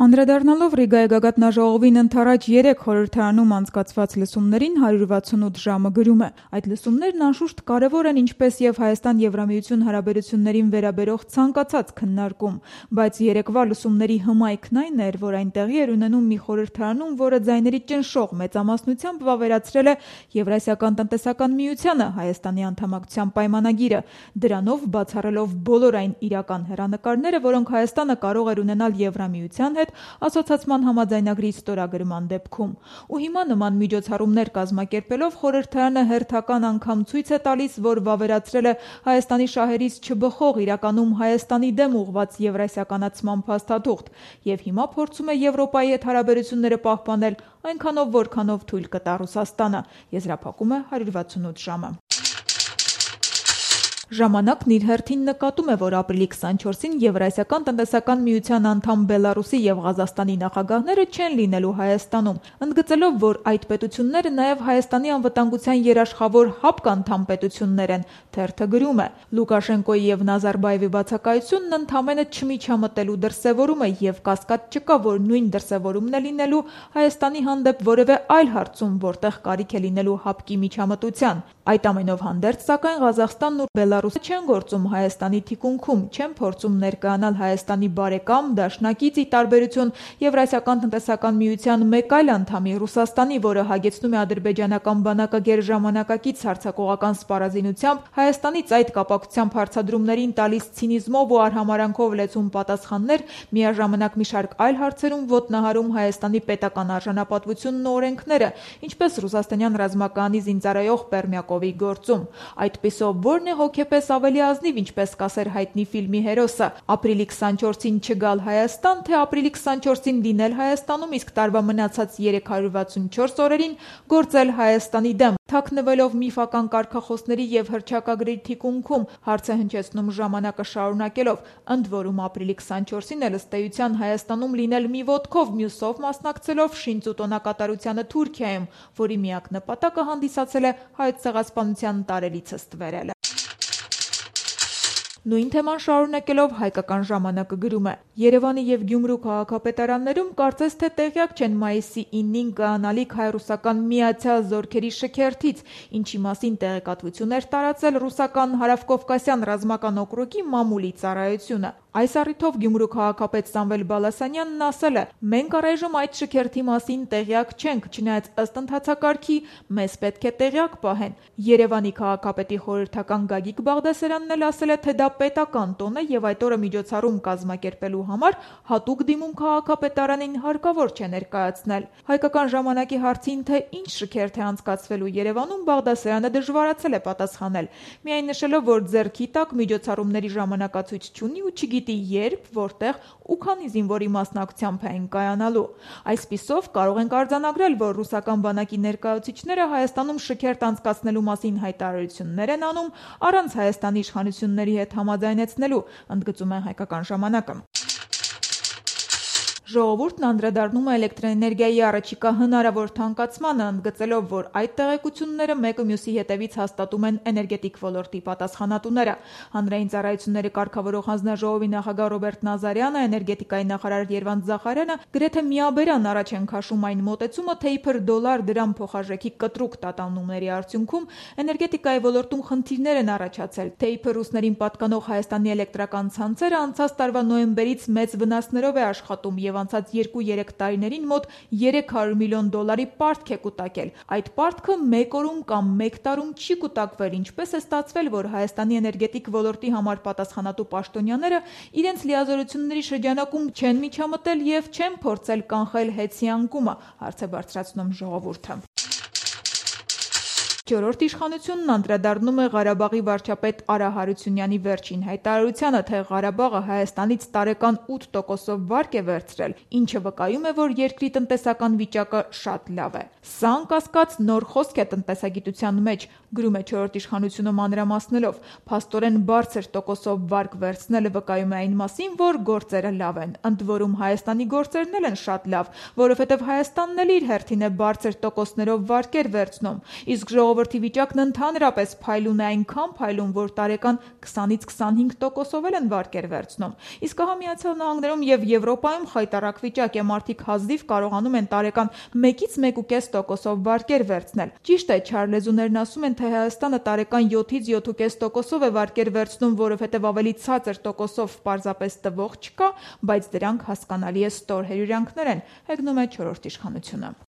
Անդրադառնալով Ռիգայի գագաթնաժողովին ընդառաջ 3 խորհրդարանում անցկացված լսումներին 168 ժամը գրում է. այդ լսումներն անշուշտ կարևոր են ինչպես եւ Հայաստան-Եվրամիություն հարաբերություններին վերաբերող ցանկացած քննարկում, բայց երեկվա լսումների հմայքն այն էր, որ այն տեղի էր ունենում մի խորհրդարանում, որը ձայների ճնշող մեծամասնությամբ վավերացրել է Եվրասիական տնտեսական միությանը Հայաստանի անդամակցության պայմանագիրը, դրանով բացառելով բոլոր այն իրական հեռանկարները, որոնք Հայաստանը կարող էր ունենալ Եվրամիության հետ ասոցացման համաձայնագրի ստորագրման դեպքում։ Ու հիմա նման միջոցառումներ կազմակերպելով խորհրդարանը հերթական անգամ ցույց է տալիս, որ վավերացրել է Հայաստանի շահերից չբխող իրականում Հայաստանի դեմ ուղղված եվրասիականացման փաստաթուղթ եւ հիմա փորձում է Եվրոպայի հետ հարաբերությունները պահպանել այնքանով, որքանով թույլ կտա Ռուսաստանը, եզրափակում է 168 ժամը։ Ժամանակն իր հերթին նկատում է, որ ապրիլի 24-ին Եվրասիական տնտեսական միության անդամ Բելարուսի եւ Ղազախստանի նախագահները չեն լինելու Հայաստանում, ընդգծելով, որ այդ պետությունները նաեւ Հայաստանի անվտանգության երաշխավոր ՀԱՊԿ-անդամ պետություններ են։ Թերթը գրում է. Լուկաշենկոյի եւ Նազարբաևի բացակայությունն ընդամենը չմիջամտելու դրսեւորում է եւ կասկած չկա, որ նույն դրսեւորումն է լինելու Հայաստանի հանդեպ որևէ այլ հարցում, որտեղ կարիք է լինելու ՀԱՊԿ-ի միջամտության։ Այդ ամենով հանդերձ, սակայն Ղազախստանն ու Բելարուսը չեն գործում Հայաստանի թիկունքում, չեն փորձում ներկայանալ Հայաստանի բարեկամ, դաշնակից ի տարբերություն Եվրասիական տնտեսական միության մեկ այլ անդամի Ռուսաստանի, որը հագեցնում է ադրբեջանական բանակագեր ժամանակակից հարձակողական սպառազինությամբ, Հայաստանից այդ կապակցությամբ հարցադրումներին տալիս ցինիզմով ու արհամարհանքով լեցուն պատասխաններ, միաժամանակ մի շարք այլ հարցերում ոտնահարում Հայաստանի պետական արժանապատվությունն ու օրենքները, ինչպես ռուսաստանյան ռազմակայանի զինծառայող Պերմյակովի գործում։ Այդպիսով ո՞րն է հոգեպես ավելի ազնիվ, ինչպես կասեր հայտնի ֆիլմի հերոսը, ապրիլի 24-ին չգալ Հայաստան, թե ապրիլի 24-ին լինել Հայաստանում, իսկ տարվա մնացած 364 օրերին գործել Հայաստանի դեմ, թաքնվելով միֆական կարգախոսների եւ հռչակագրի թիկունքում, հարց է հնչեցնում ժամանակը շարունակելով, ընդ որում ապրիլի 24-ին էլ ըստ էության Հայաստանում լինել մի ոտքով, մյուսով մասնակցելով շինծ ու տոնակատարությանը Թուրքիայում, որի միակ նպատակը հանդիսացել է հայոց ցեղասպանության տարելիցը ստվերելը։ Նույն թեման շարունակելով հայկական ժամանակը գրում է. Երևանի եւ Գյումրու քաղաքապետարաններում կարծես թե տեղյակ չեն մայիսի 9-ին կայանալիք հայ-ռուսական միացյալ զորքերի շքերթից, ինչի մասին տեղեկատվություն էր տարածել ռուսական Հարավկովկասյան ռազմական օկրուգի մամուլի ծառայությունը։ Այս առիթով Գյումրու քաղաքապետ Սամվել Բալասանյանն ասել է. մենք առայժմ այդ շքերթի մասին տեղյակ չենք, չնայած ըստ ընթացակարգի մեզ պետք է տեղյակ պահեն։ Երևանի քաղաքապետի խորհրդական Գագիկ Բաղդասարյանն էլ ասել է, թե դա պետական տոն է եւ այդ օրը միջոցառում կազմակերպելու համար հատուկ դիմում քաղաքապետարանին հարկավոր չէ ներկայացնել։ Հայկական ժամանակի հարցին, թե ինչ շքերթ է անցկացվելու Երևանում, Բաղդասարյանը դժվարացել է պատասխանել, միայն նշելով, որ ձեռքի տակ միջոցառումների ժամանակացույց չունի ու չգիտի երբ, որտեղ ու քանի զինվորի մասնակցությամբ են կայանալու։ Այսպիսով կարող ենք արձանագրել, որ ռուսական բանակի ներկայացուցիչները Հայաստանում շքերթ անցկացնելու մասին հայտարարություններ են անում առանց Հայաստանի իշխանությունների հետ համաձայնեցնելու, ընդգծում է հայկական ժամանակը։ Ժողովուրդն անդրադառնում է էլեկտրաէներգիայի առաջիկա հնարավոր թանկացմանը, ընդգծելով, որ այդ տեղեկությունները մեկը մյուսի հետևից հաստատում են էներգետիկ ոլորտի պատասխանատուները։ Հանրային ծառայությունների կարգավորող հանձնաժողովի նախագահ Ռոբերտ Նազարյանը, էներգետիկայի նախարար Երվանդ Զախարյանը գրեթե միաբերան առաջ են քաշում այն մոտեցումը, թե իբր դոլար-դրամ փոխարժեքի կտրուկ տատանումների արդյունքում էներգետիկայի ոլորտում խնդիրներ են առաջացել, թե իբր ռուսներին պատկանող Հայաստանի էլեկտրական ցանցերը անցած տարվա նոյեմբերից մեծ վնասներով է աշխատում եւ անցած 2-3 տարիներին մոտ 300 միլիոն դոլարի պարտք է կուտակել։ Այդ պարտքը մեկ օրում կամ մեկ տարում չի կուտակվել, ինչպես է ստացվել, որ Հայաստանի էներգետիկ ոլորտի համար պատասխանատու պաշտոնյաները իրենց լիազորությունների շրջանակում չեն միջամտել եւ չեն փորձել կանխել հեծի անկումը, հարց է բարձրացնում ժողովուրդը։ Չորրորդ իշխանությունն անդրադառնում է Ղարաբաղի վարչապետ Արա Հարությունյանի վերջին հայտարարությանը, թե Ղարաբաղը Հայաստանից տարեկան 8%-ով վարկ է վերցրել, ինչը վկայում է, որ երկրի տնտեսական վիճակը շատ լավ է։ Սա անկասկած նոր խոսք է տնտեսագիտության մեջ, Գրում է «Չորրորդ իշխանությունը» մանրամասնելով. «Փաստորեն բարձր տոկոսով վարկ վերցնելը վկայում է այն մասին, որ գործերը լավ են, ընդ որում Հայաստանի գործերն էլ են շատ լավ, որովհետև Հայաստանն էլ իր հերթին է բարձր տոկոսներով վարկեր վերցնում, իսկ ժողովրդի վիճակն ընդհանրապես փայլուն է, այնքան փայլուն, որ տարեկան 20-25% էլ են վարկեր վերցնում, իսկ ահա Միացյալ Նահանգներում եւ Եվրոպայում խայտառակ վիճակ է, մարդիկ հազիվ կարողանում են տարեկան 1-ից 1.5% վարկեր վերցնել։ Ճիշտ է, չար լեզուներն ասում են, թե Հայաստանը տարեկան 7-ից 7.5% է վարկեր վերցնում, որովհետև ավելի ցածր տոկոսով պարզապես տվող չկա, բայց դրանք հասկանալի է ստոր հյուրյանքներ են», հեգնում է «Չորրորդ իշխանությունը»։